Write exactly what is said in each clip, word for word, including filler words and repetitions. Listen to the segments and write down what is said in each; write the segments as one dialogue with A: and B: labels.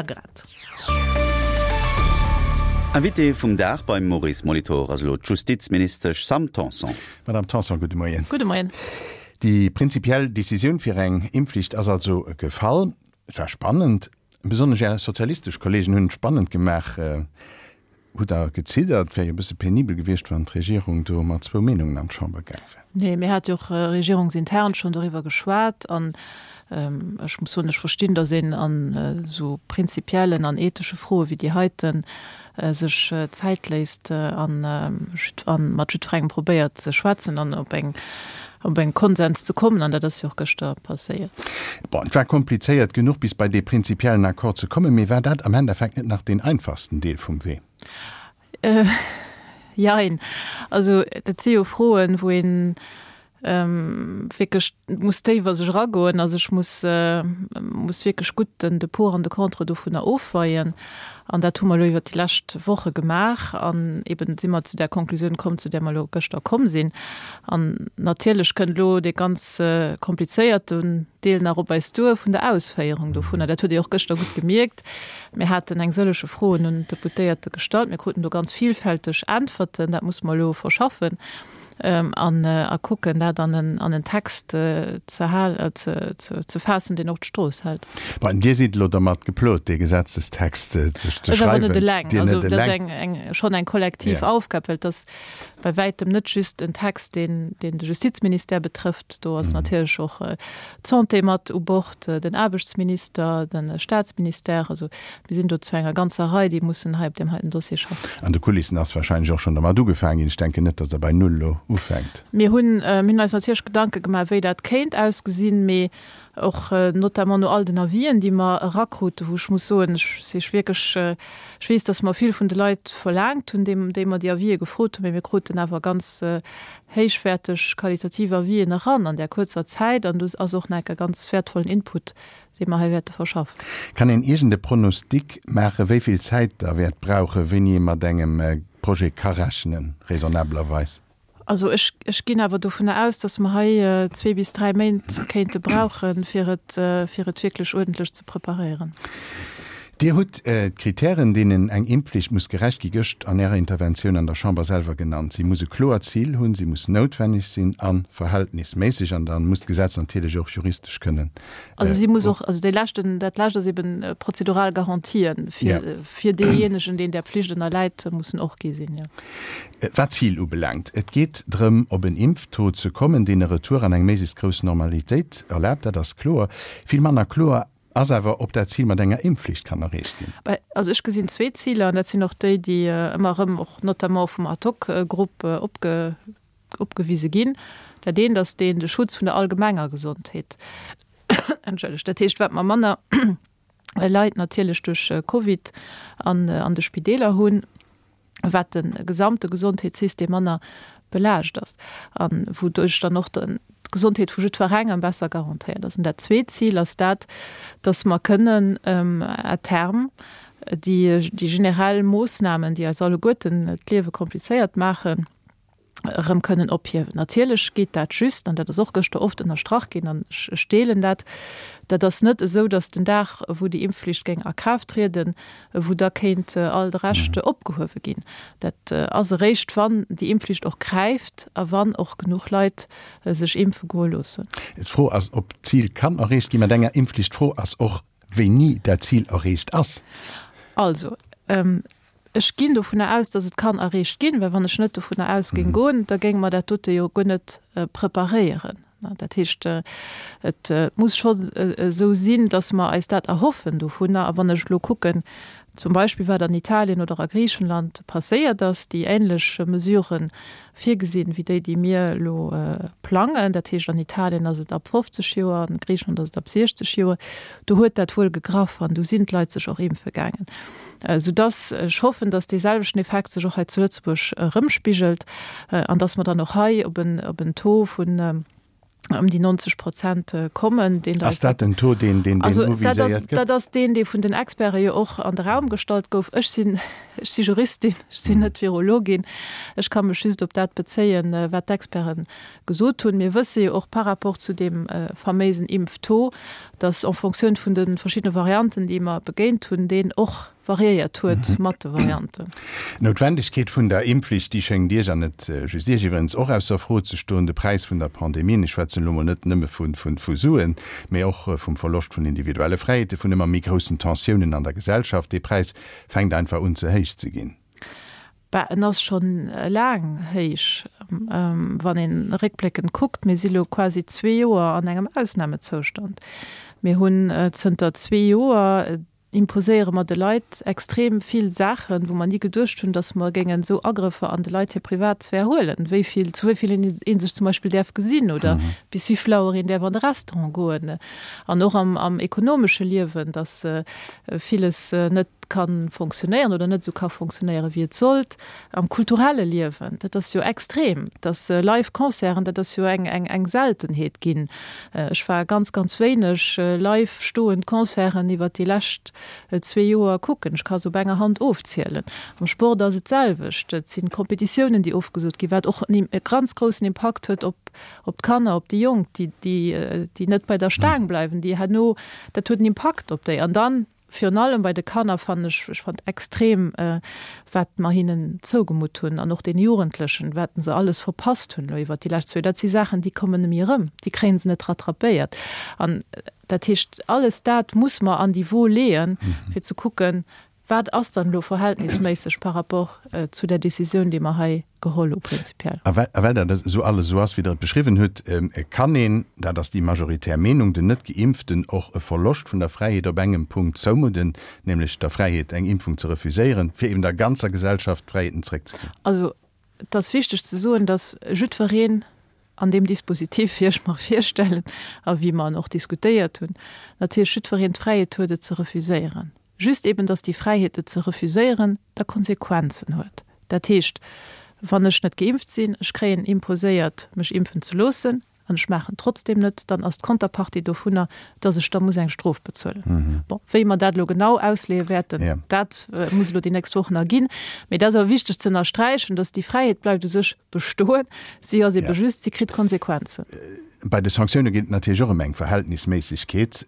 A: Grad.
B: Invité vum Dag beim Maurice Molitor ass elo d'Justizministesch Sam Tanson.
C: Madame Tanson, gudde Moien.
A: Gudde Moien.
C: Déi prinzipiell Decisioun fir eng Impfflicht ass also gefall. Et war spannend. Besonnesch Är sozialistesch Kolleegen hunn et spannend gemaach. Hutt Der geziddert? Et wär jo e bësse penibel gewiescht, wann d'Regierung do mat zwou Meenungen an d'Chamber gaang wär.
A: Nee, mir hate jo och regierungsintern schonn doriwwer geschwat. An ech muss soen, ech verstinn, datt een an esou prinzipiellen an ethesche Froe wéi déi heiten sech Zäit léisst a mat jiddwerengem probéiert ze schwätzen an op eng op eng Konsens ze kommen. An dat ass jo och gëschter passéiert.
C: Bon, et war komplizéiert genuch, bis bei dee prinzipiellen Accord ze kommen. Mee war dat am Endeffekt net nach deen einfachsten Deel vum Wee?
A: Jein. Also dat si jo Froen, wou een wierklech muss déif a sech eragoen. Also ech muss, muss wierklech gutt den, de Pour an de Contre dovunner ofweien. An dat hu mer elo iwwert déi lescht Woche gemaach. An eben si mer zu där Konklusioun komm, zu där mer elo gëschter komm sinn. An natierlech kënnt elo dee ganz komplizéierten Deel nach op eis duer vun der Ausféierung dovunner. Dat huet Dir och gëschter gutt gemierkt. Mir haten eng sëllege Froen un d'Deputéierte gestallt. Mir kruten do ganz vielfälteg Äntwerten. Dat musse mer elo verschaffen an a kucken, dat an en an en Text ze hal ze ze faassen, deen och d'Strooss hält.
C: Bon, Dir sidd elo dermat geplot, dee Gesetzestext ze ze
A: Ech awer net
C: schreiwen.
A: eleng.
C: Dir
A: Also
C: net
A: dat ass
C: eleng.
A: eng eng schonn eng kollektiv
C: Ja.
A: Aufgab, well et ass bei wäitem net just en Text, deen deen de Justizministère betrëfft. Do ass natierlech och d'Santé mat u Bord, den Aarbechtsminister, de Staatsministère. Also mir sinn do zu enger ganzer Rei, déi mussen hei op deem heiten Dossier schaffen.
C: An de Kulissen ass wahrscheinlech och schonn dermat ugefaangen ginn. Ech denken net, datt Der bei Null elo ufänkt.
A: Mir hunn, mir hunn eis natierlech Gedanke gemaach, wéi dat kéint ausgesinn, mee och notamment no all den Avisen, déi mer erakruten, wou ech muss soen, ech si wierklech, ech weess, datt mer vill vun de Leit verlaangt hunn, déi, déi mer déi Avisë gefrot hunn, mee mir kruten awer ganz héichwäerteg qualitativ Avisen eran an där kuerzer Zäit an do ass och nach e ganz wäertvollen Input, dee mer hei wäerte verschaffen.
C: Kann een iergend e Pronostic maachen, wéi vill Zäit Der wäert brauchen, wéini ee mat engem Projet ka rechnen, raisonnablerweis?
A: Also ech, ech ginn awer dovunner aus, datt mer hei zwee bis dräi Méint kéinte brauchen, fir et, fir et wierklech uerdentlech ze preparéieren.
C: Dir hutt d'Kritären, deenen eng Impfflicht muss gerecht gi, gëscht an Ärer Interventioun an der Chamber selwer genannt. Si muss e kloert Zil hunn, si muss noutwenneg sinn a verhältnisméisseg. An da muss d'Gesetz natierlech och juristesch kënnen.
A: Also si muss och, also dee leschten, dat lescht ass eben prozedural Garantien fir, fir deejéinegen, deen där Pflicht ënnerläit, mussen och gi sinn, jo.
C: Wat d'Zil ubelaangt, et geet drëm, op en Impftaux ze kommen, deen e Retour an eng méiglechst grouss Normalitéit erlaabt. Dat ass kloer. Vill manner kloer ass awer, ob dat Zil mat enger Impfflicht kann erreecht ginn.
A: Also ech gesinn zwee Ziler, an dat sinn och déi, déi ëmmer erëm och notamment vum Ad-hoc-Grupp opge, opgewise ginn. Dat eent ass deen, de Schutz vun der allgemenger Gesondheet. Entschëllegt. Dat heescht, wat mer manner Leit natierlech duerch Covid an, an de Spideeler hunn, wat de gesamte Gesondheetssystem manner belaascht ass an wouduerch dann och d'Gesondheet vu jiddwerengem besser garantéiert ass. An dat zweet Zil ass dat, dass mer kënnen à terme déi, déi generell Moossnamen, déi eis alleguerten d'Liewe komplizéiert maachen, erëm kënnen ophiewen. Natierlech geet dat just, an dat ass och gëschter oft ënnerstrach ginn, an ech, ech deelen dat, dat ass net esou, dass den Dag, wou déi Impfflicht géing a Kraaft trieden, wou da kéint all de Rescht opgehuewe ginn. Dat ass eréischt, wann déi Impfflicht och gräift a wann och genuch Leit sech impfe goe loossen.
C: D'Fro ass, ob d'Zil kann erreecht gi mat enger Impfflicht. D'Fro ass och, wéini dat Zil erreecht ass.
A: Also, ech ginn dovunner aus, dass et kann erreecht ginn, well wann ech net dovunner aus géing goen, da géinge mer dat dote jo guer net preparéieren. Dat heescht, et muss scho esou sinn, dass mer eis dat erhoffen dovunner. A wann ech elo kucken, zum Beispill wat an Italien oder a Griichenland passéiert ass, déi ähnlech Mesuren virgesinn wéi déi, déi mir elo plangen, dat heescht an Italien ass et ab fofzeg Joer, an Griichenland ass et ab siechzeg Joer, do huet dat wuel gegraff an do sinn d'Leit sech och impfe gaangen. Soudass ech hoffen, dass dee selwechten Effekt sech och hei zu Lëtzebuerg erëmspigelt an dass mer dann och hei op en, op en Taux vun ëm déi neunzeg Prozent kommen, deen
C: Ass dat den Taux, deen, deen, deen
A: uviséiert gëtt? Dat ass deen, dee vun den Experte jo och an de Raum gestallt gouf. Ech sinn, ech si Juristin, ech sinn net Virologin. Ech ka mech just op dat bezéien, wat d'Experte gesot hunn. Mir wësse jo och par rapport zu deem faméisen Impftaux, dass en Fonctioun vun de verschiddene Varianten, déi mer begéint hunn, deen och variéiert huet mat de Varianten.
C: D'Noutwendegkeet vun der Impfflicht, déi schéngt Iech, an net just Iech iwwerens, och ausser Fro ze stoen. De Präis vun der Pandemie, ech schwätzen elo mol net nëmme vu Suen, mee och vum Verloscht vun individuelle Fräiheete, vun ëmmer méi groussen Tensiounen an der Gesellschaft, dee Präis fänkt einfach un ze héich ze ginn.
A: Bah, en ass schonn laang héich, wann een réckbléckend kuckt. Mir si lo quasi zwee Joer an engem Ausnamezoustand. Mir hunn zënter zwee Joer, imposéiere mer de Leit extrem vill Saachen, wou mer ni geduecht hunn, datt mer géingen esou Agrëffer an de Leit hir Privatsphär huelen, wéi vill, zu wéi vill ee sech zum Beispill däerf gesinn oder bis wéi vill Auer een däerf an de Restaurant goen. An och am, am ekonomesche Liewen, datt villes net ka fonctionnéieren oder net esou ka fonctionnéieren, wéi et sollt. Am kulturelle Liewen, dat ass jo extrem, datt Live-Concerten, dat ass jo eng, eng, eng Seltenheet ginn. Ech war ganz, ganz wéineg live stoend Concerten iwwert déi lescht zwee Joer kucken. Ech ka se op enger Hand ofzielen. Am Sport ass et d'selwecht. Et si Kompetitiounen, déi ofgesot ginn, wat och e ganz groussen Impakt huet op, op d'Kanner, op déi Jonk, déi, déi, déi net bei der Staang bleiwen, déi herno, dat huet en Impakt op déi. An dann virun allem bei de Kanner fannen ech, ech fand extrem, wat mer hinnen zougemutt hunn an och den Jugendlechen, wat se alles verpasst hunn elo iwwert déi lescht zwee, dat si Saachen, déi kommen net méi erëm, déi kréie se net rattrapéiert. An dat heescht, alles dat muss mer an déi Wo leeën, fir ze kucken, Wat ass dann elo verhältnisméisseg par rapport zu der Décisioun, déi mer hei geholl hu prinzipiell?
C: A well dat esou alles esou ass, wéi Der et beschriwwen hutt, kann een, dat ass déi majoritär Meenung, den Net-Geimpften och e Verloscht vun der Fräiheet op engem Punkt zoumudden, nämlech der Fräiheet, eng Impfung ze refuséieren, fir eben der ganzer Gesellschaft d'Fräiheeten zréckzeginn.
A: Also, et ass wichteg ze soen, dass jiddwereen an deem Dispositif, wéi ech mer virstellen a wéi mer en och diskutéiert hunn, natierlech jiddwereen d'Fräiheet huet, et ze refuséieren. Just eben, dass déi Fräiheet, et ze refuséieren, da Konsequenzen huet. Dat heescht, wann ech net geimpft sinn, ech kréien imposéiert, mech impfen ze loossen, an ech maachen et trotzdem net, dann ass d'Konterpartie dovunner, dass ech da muss eng Strof bezuelen. Bon, wéi mer dat elo genau ausleeë wäerten, dat muss elo déi nächst Wochen erginn. Mee dat ass awer wichteg ze ënnersträichen, dass déi Fräiheet bleift u sech bestoen, si ass ebe just, si kritt Konsequenzen.
C: Bei de Sanktioune geet et natierlech och ëm eng Verhältnisméissegkeet.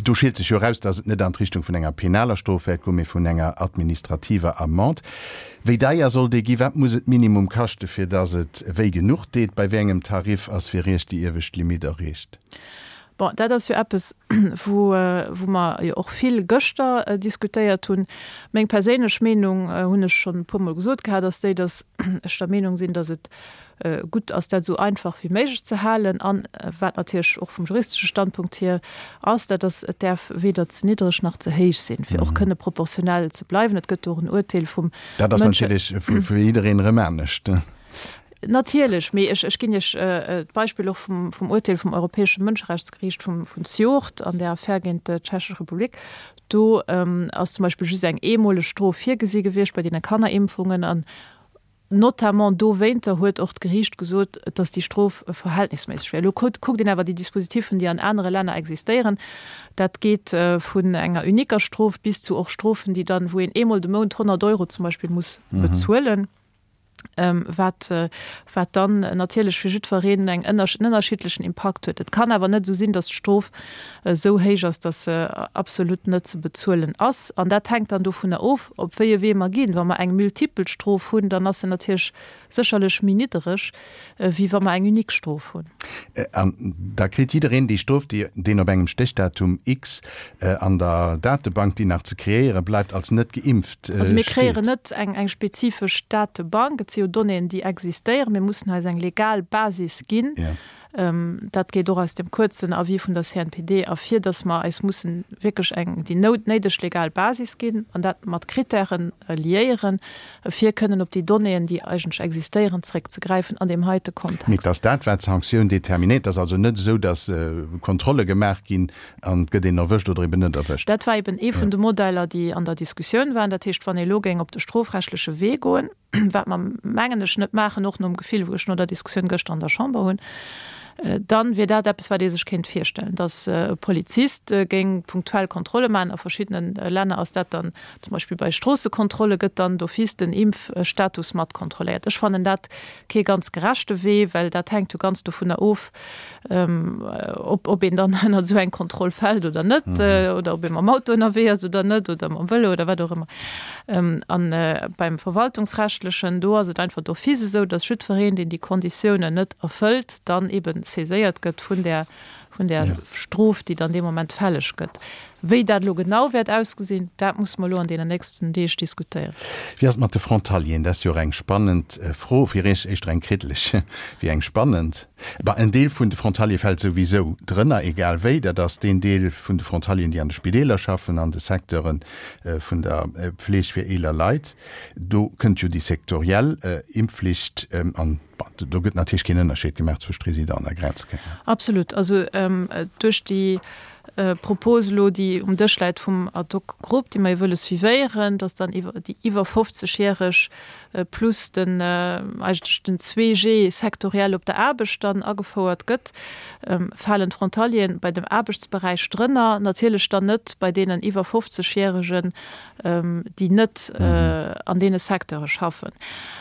C: Do schielt sech jo eraus, datt et net an d'Richtung vun enger penaler Strof wäert goen, mee vun enger administrativer Amende. Wéi deier soll déi ginn? Wat muss et minimum kaschten, fir datt et wéi genuch deet? Bei wéi engem Tarif ass fir Iech déi iewescht Limitt erreecht?
A: Bon, dat ass jo eppes, wou, wou mer jo och vill gëschter diskutéiert hunn. Meng perséinlech Meenung, hunn ech schonn e puermol gesot gehat, ass déi, datt ech der Meenung sinn, datt et gutt ass, dat esou einfach wéi méiglech ze halen. An wat natierlech och vum juristesche Standpunkt hier ass, dat ass, et däerf weder ze niddreg nach ze héich sinn, fir och kënne proportionell ze bleiwen. Et gëtt do och en Urteel vum
C: Dat ass natierlech fir jiddereen erëm anescht.
A: Natierlech, mee ech, ech ginn Iech d'Beispill och vum, vum Urteel vum Europäesche Mënscherechtsgeriicht vum, vun zejoert an där Affär géint d'Tschechesch Republik. Do ass zum Beispill just eng eemoleg Strof virgesi gewiescht bei deene Kannerimpfungen an notamment dowéinter huet och d'Geriicht gesot, dass déi Strof verhältnisméisseg wär. Elo kuckt een awer déi Dispositifen, déi an anere Länner existéieren, dat geet vun enger uniquer Strof bis zu och Strofen, déi dann, wou een eemol de Mount honnert Euro zum Beispill muss bezuelen. wat, wat dann natierlech fir jiddwereen eng en ënnerschiddlechen Impakt huet. Et kann awer net esou sinn, datt d'Strof esou héich ass, datt se absolut net ze bezuelen ass. An dat hänkt dann dovunner of, op wéi e Wee mer ginn. Wa mer eng multipel Strof hunn, dann ass se natierlech sécherlech méi niddereg, wéi wa mer eng unique Strof hunn.
C: An da kritt jiddereen déi Strof, déi deen op engem Stéchdatum X an der Datebank, déi nach ze kreéiere bleift, als net geimpft steet.
A: Also mir kreéieren net eng eng spezifesch Datebank. Et si jo Donnéeën, déi existéieren. Mir mussen eis eng legal Basis ginn. Dat geet och aus dem kuerzen Avis vun der C N P D ervir, dass mer eis mussen wierklech eng déi néideg legal Basis ginn an dat mat Kritären liéieren, fir kënnen op déi Donnéeën, déi eigentlech existéieren, zréckzegräifen an deem heite
C: Kontext. Mee et ass dat, wat d'Sanktioun determinéiert. Et ass also net esou, dass Kontrolle gemaach ginn an et gëtt een erwëscht oder eben net erwëscht.
A: Dat war eben ee vun de Modeller, déi an der Diskussioun waren. Dat heescht, wann ee elo géing op de strofrechtleche Wee goen, wat mer, mengen ech, net maachen, och nom Gefill, wou ech no der Diskussioun gëschter an der Chamber hunn, dann wier dat eppes, wat ee sech kéint virstellen, dass e Polizist géing punktuell Kontrolle maachen. A verschiddene Länner ass dat dann zum Beispill bei Stroossekontrolle gëtt dann d'office den Impfstatus mat kontrolléiert. Ech fannen dat kee ganz gerechte Wee, well dat hänkt jo ganz dovunner of, ob ob een dann ënnert esou eng Kontroll fält oder net, oder ob ee mam Auto ënnerwee ass oder net oder mam Vëlo oder wat och ëmmer. An beim Verwaltungsrechtlechen, do ass et einfach d'office esou, dass jiddwereen, deen déi Konditiounen net erfëllt, dann eben saiséiert gëtt vun där, vun där Strof, déi dann dee Moment fälleg gëtt. Wéi dat elo genau wäert ausgesinn, dat musse mer elo an deenen nächsten Deeg diskutéieren.
C: Wéi ass et mat de Frontalieren? Dat ass jo och eng spannend Fro, fir Iech éischter eng kriddeleg wéi eng spannend. Bah, en Deel vun de Frontaliere fält souwisou drënner, egal wéi. Dat ass deen Deel vun de Frontalieren, déi an de Spideeler schaffen, an de Secteure vun der Pfleeg fir eeler Leit. Do kënnt jo déi sektoriell Impfflicht an do gëtt natierlech keen Ënnerscheed gemaach zwëscht Residenten a Grenzgänger.
A: Absolut. Also duerch déi Propos elo, déi um Dësch läit vum Ad-hoc-Grupp, déi mer jo wëlle suivéieren, dass dann iwwer déi iwwer fofzeg-Järeg plus den eigentlech den zwee G sektoriell op der Aarbecht dann agefouert gëtt, falen d'Frontalieren bei dem Aarbechtsberäich drënner, natierlech dann net bei deenen iwwer fofzeg-Järegen, déi net an deene Secteure schaffen.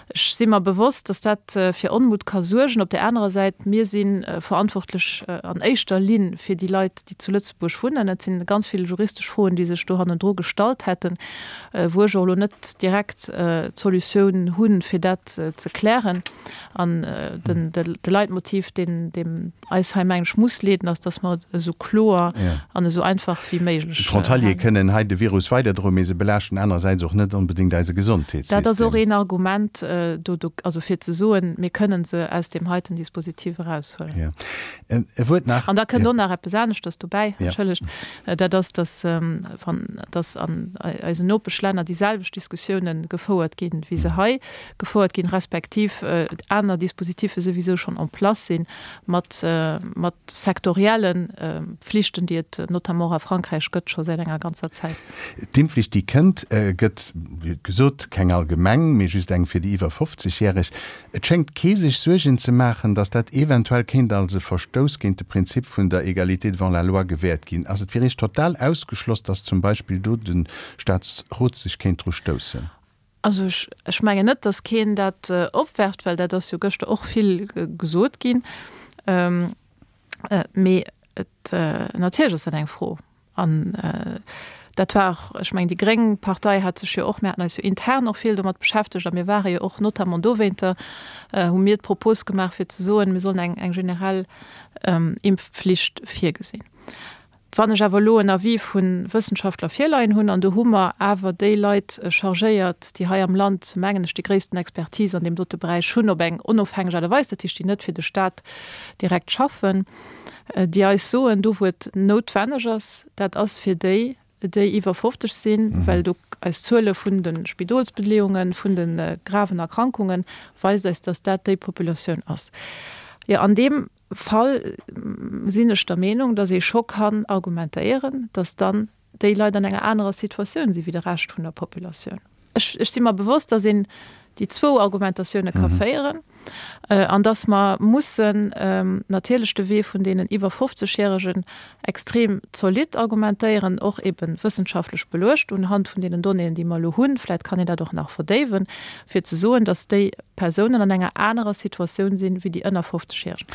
A: Ech si mer bewosst, dass dat fir Onmut ka suergen. Op där anerer Säit, mir si verantwortlech an éischter Linn fir déi Leit, déi zu Lëtzebuerg wunnen. Et si ganz vill juristesch Froen, déi sech do hannendru gestallt hätten, wou ech och elo net direkt d'Solutioun hunn, fir dat ze klären. An de Leitmotiv, deen eis hei, mengen ech, muss leeden, ass, dass mer et esou kloer an esou einfach wéi méiglech.
C: D'Frontaliere kënnen hei de Virus weiderdroen, mee se belaaschten anerersäits och net onbedéngt eise Gesondheetssystem.
A: Dat ass och een Argument, do, do, also fir ze soen, mir kënnen se aus deem heiten Dispositif eraushuelen.
C: Jo. E Wuert nach.
A: An da kënnt och nach eppes aneschters dobäi, entschëllegt, dat ass, dass, wann, dass an eisen Nopeschlänner déi selwecht Diskussiounen gefouert ginn, wéi se hei gefouert ginn, respektiv aner Dispositiffe souwisou schonn en place sinn, mat, mat sektorielle Pflichten, déi et notamment och a Frankräich gëtt, scho säit enger ganzer Zäit.
C: D'Impfflicht, déi kënnt, gëtt, wéi gesot, keng allgemeng, mee just eng fir déi iwwer fofzeg-Järeg. Et schéngt kee sech Suergen ze maachen, datt dat eventuell kéint als e Verstouss géint de Prinzip vun der Égalité devant la loi gewäert ginn. Ass et fir Iech total ausgeschloss, datt zum Beispill do de Staatsrot sech kéint dru stoussen?
A: Also ech, ech mengen net, datt keen dat opwerft, well dat ass jo gëschter och vill gesot ginn. Mee et, natierlech ass dat eng Fro. An dat war och, ech mengen, déi gréng Partei hat sech jo och, mir haten eis jo intern och vill domat beschäftegt a mir ware jo och notamment dowéinter, hu mir d'Propos gemaach fir ze soen, mir sollen eng, eng generell Impfflicht virgesinn. Wann ech awer elo en Avis vu Wëssenschaftler virleien hunn, an do hu mer awer déi Leit chargéiert, déi hei am Land, mengen ech, déi gréissten Expertise an deem dote Beräich hunn, op eng onofhängeg Aart a Weis, dat heescht, déi net fir de Stat direkt schaffen, déi eis soen, do wou et noutwenneg ass, dat ass fir déi, déi iwwer fofzeg sinn, well do eis Zuele vun de Spidolsbeleeungen, vun de graven Erkrankungen weist eis, dass dat déi Populatioun ass. Jo, an deem Fall sinn ech der Meenung, dass ee scho kann argumentéieren, dass dann déi Leit an enger anerer Situatioun si wéi de Rescht vun der Populatioun. Ech, ech si mer bewosst, dass een déi zwou Argumentatioune ka féieren an dass mer mussen natierlech de Wee vun deenen iwwer fofzeg-Järegen extrem zolidd argumentéieren, och ebe wëssenschaftlech beluecht unhand vun deenen Donnéeën, déi mer elo hunn. Vläicht kann een dat och nach verdéiwen, fir ze soen, dass déi Persounen an enger anerer Situatioun sinn wéi déi ënner fofzeg-Järegen.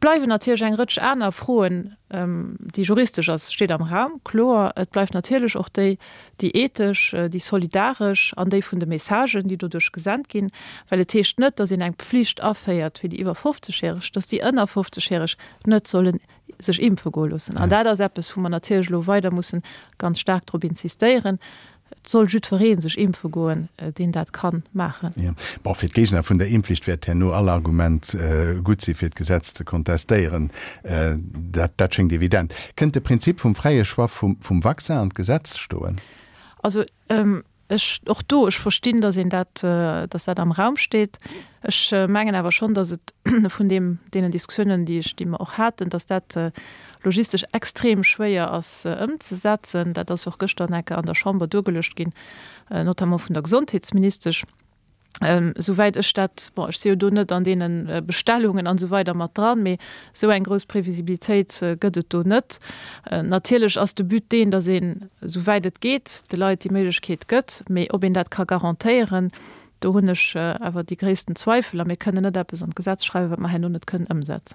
A: Bleiwen natierlech eng Rëtsch aner Froen, déi juristesch ass, steet am Raum, kloer. Et bleift natierlech och déi, déi ethesch, déi solidaresch an déi vun de Messagen, déi doduerch gesent ginn. Well et heescht net, datt een eng Pflicht aféiert fir déi iwwer fofzeg-Järeg, datt déi ënner fofzeg-Järeg net sollen sech impfe goe loossen. An dat ass eppes, wou mer natierlech elo weider mussen ganz staark drop insistéieren, Et soll jiddweree sech impfe goen, deen dat ka maachen.
C: Jo. Bon, fir d'Géigner vun der Impfflicht wäert herno all Argument gutt si fir d'Gesetz ze kontestéieren. Dat, dat schéngt evident. Kënnt de Prinzip vum fräie Choix vum, vum Vaccin an d'Gesetz stoen?
A: Also, ech, och do, ech verstinn, datt een dat, datt dat am Raum steet. Ech mengen awer schonn, datt et vun deem, deenen Diskussiounen, déi ech, déi mer och haten, datt dat logistesch extrem schwéier ass ëmzesetzen. Dat ass och gëschter enke an der Chamber duergeluecht ginn, notamment vun der Gesondheetsministesch. Souwäit ech dat, bon, ech si jo do net an deene Bestellungen an esou weider mat dran, mee esou eng grouss Previsibilitéit gëtt et do net. Natierlech ass de But deen, datt een, souwäit et geet, de Leit déi Méiglechkeet gëtt, mee ob een dat ka garantéieren, Do hunn ech awer déi gréissten Zweifel a mir kënnen net eppes an d'Gesetz schreiwen, wat mer herno net kënnen ëmsetzen.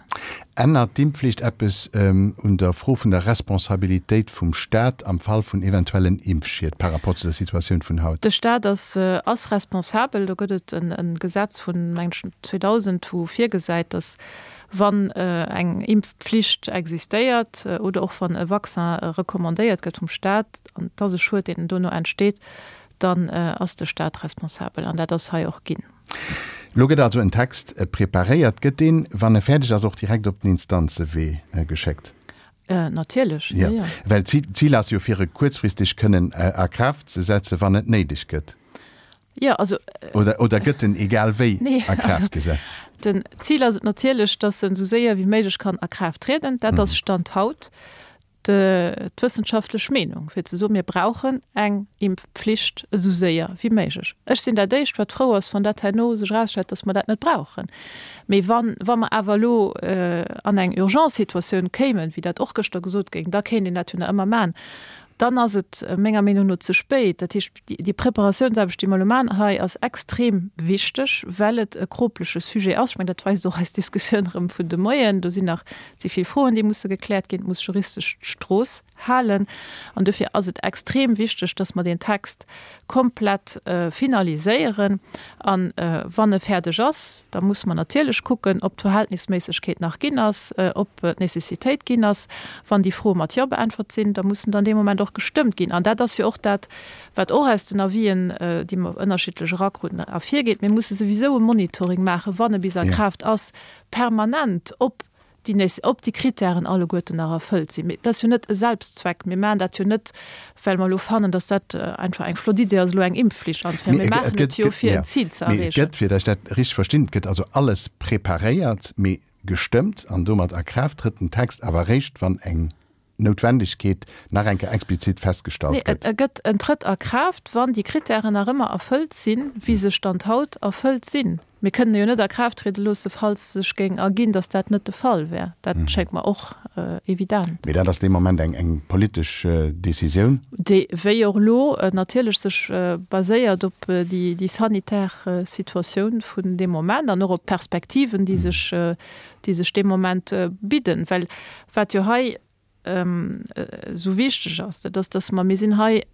C: Ännert d'Impfflicht eppes un der Fro vun der Responsabilitéit vum Staat am Fall vun eventuellen Impfschied par rapport zu der Situatioun vun haut?
A: De Staat ass ass responsabel. Do gëtt et e Gesetz vun, mengen ech, zweedausend, wou virgesäit, datt wann eng Impfpflicht existéiert oder och wann e Vaccin recommandéiert gëtt vum Staat an et ass e Schued, deen dono entsteet, dann ass de Staat responsabel an dat ass hei och ginn.
C: Elo gëtt also en Text preparéiert. Gëtt deen, wann e fäerdeg ass, och direkt op den Instanzewee geschéckt?
A: Natierlech, jo, jo.
C: Well d'Zil ass jo, fir e kuerzfristeg kënnen a Kraaft ze setzen, wann et néideg gëtt.
A: Jo, also.
C: Oder gëtt en egal wéi a Kraaft gesat?
A: Den Zil ass et natierlech, datt en esou séier wéi méiglech kann a Kraaft trieden. Dat ass Stand haut. d'wëssenschaftlech Meenung, fir ze soen, mir brauchen eng Impfpflicht esou séier wéi méiglech. Ech sinn dat Éischt, wat frou ass, wann dat herno sech erausstellt, dass mer dat net brauchen. Mee wann, wa mer awer elo an eng Urgence-Situatioun kéimen, wéi dat och gëschter gesot géing, da kéint een dat jo nach ëmmer maachen, dann ass et menger Meenung no ze spéit. Dat heescht, déi Preparatiounsaarbecht, déi mer elo maachen hei, ass extrem wichteg, well et e kropleche Sujet ass. Ech mengen, dat weist och eis Diskussioun erëm vun de Moien. Do sinn nach ze vill Froen, déi musse gekläert ginn. Et muss juristesch d'Strooss halen. An dofir ass et extrem wichteg, dass mer deen Text komplett finaliséieren. A wann e fäerdeg ass, da musse mer natierlech kucken, ob d'Verhältnisméissegkeet nach ginn ass, ob d'Nécessitéit ginn ass. Wann déi Froe mat Jo beäntwert sinn, da mussen dann dee Moment och gestëmmt ginn. An dat ass jo och dat, wat och aus den Avisen, déi mer ënnerschiddlech erakruten, ervirgeet. Mir musse souwisou e Monitoring maachen, wann e bis a Kraaft ass, permanent, ob déi, ob déi Kritären alleguerten nach erfëllt sinn. Mee dat ass jo net e Selbstzweck. Mir maachen dat jo net, well mer elo fannen, datt dat einfach eng flott Idee ass, elo eng Impfflicht anzeféieren. Mir maachen et jo, fir en Zil ze
C: erreechen. Mee et gëtt, fir datt ech dat richteg verstinn, et gëtt also alles preparéiert, mee gestëmmt an domat a Kraaft trëtt den Text awer eréischt, wann eng Noutwendegkeet nach eng Kéier explizit festgestallt
A: gëtt. Nee, e gëtt, en trëtt a Kraaft, wann déi Kritären nach ëmmer erfëllt sinn, wéi se Stand haut erfëllt sinn. Mir kënnen e jo net a Kraaft triede loosse, falls sech géing erginn, datt dat net de Fall wär. Dat schéngt mer och evident.
C: Mee dat ass dee Moment eng, eng politesch Décisioun.
A: Déi, wéi och elo, natierlech sech baséiert op déi, déi sanitär Situatioun vun deem Moment an och op d'Perspektiven, déi sech, déi sech dee Moment bidden. Well wat jo hei esou wichteg ass, dat ass, dass mer, mir sinn hei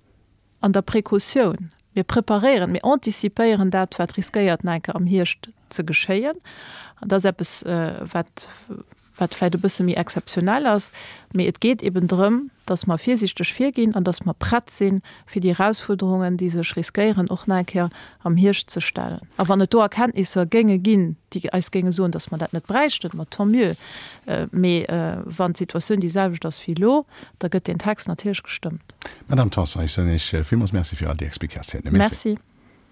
A: an der Precautioun, mir preparéieren, mir anticipéieren dat, wat riskéiert nach eng Kéier am Hierscht ze geschéien. An dat ass eppes, wat, wat vläicht e bësse méi exzeptionell ass. Mee et geet eben drëm, dass mer virsiichteg virginn an dass mer prett sinn, fir déi Erausfuerderungen, déi sech riskéieren, och nach eng Kéier am Hierscht ze stellen. A wann et do Erkenntnisser géinge ginn, déi eis géinge soen, dass mer dat net bräichten, ma tant mieux. Mee wann d'Situatioun déi selwecht ass wéi elo, da gëtt deen Text natierlech gestëmmt.
C: Madame Tanson, ech soen Iech villmools Merci fir all déi Explikatiounen.
A: Merci.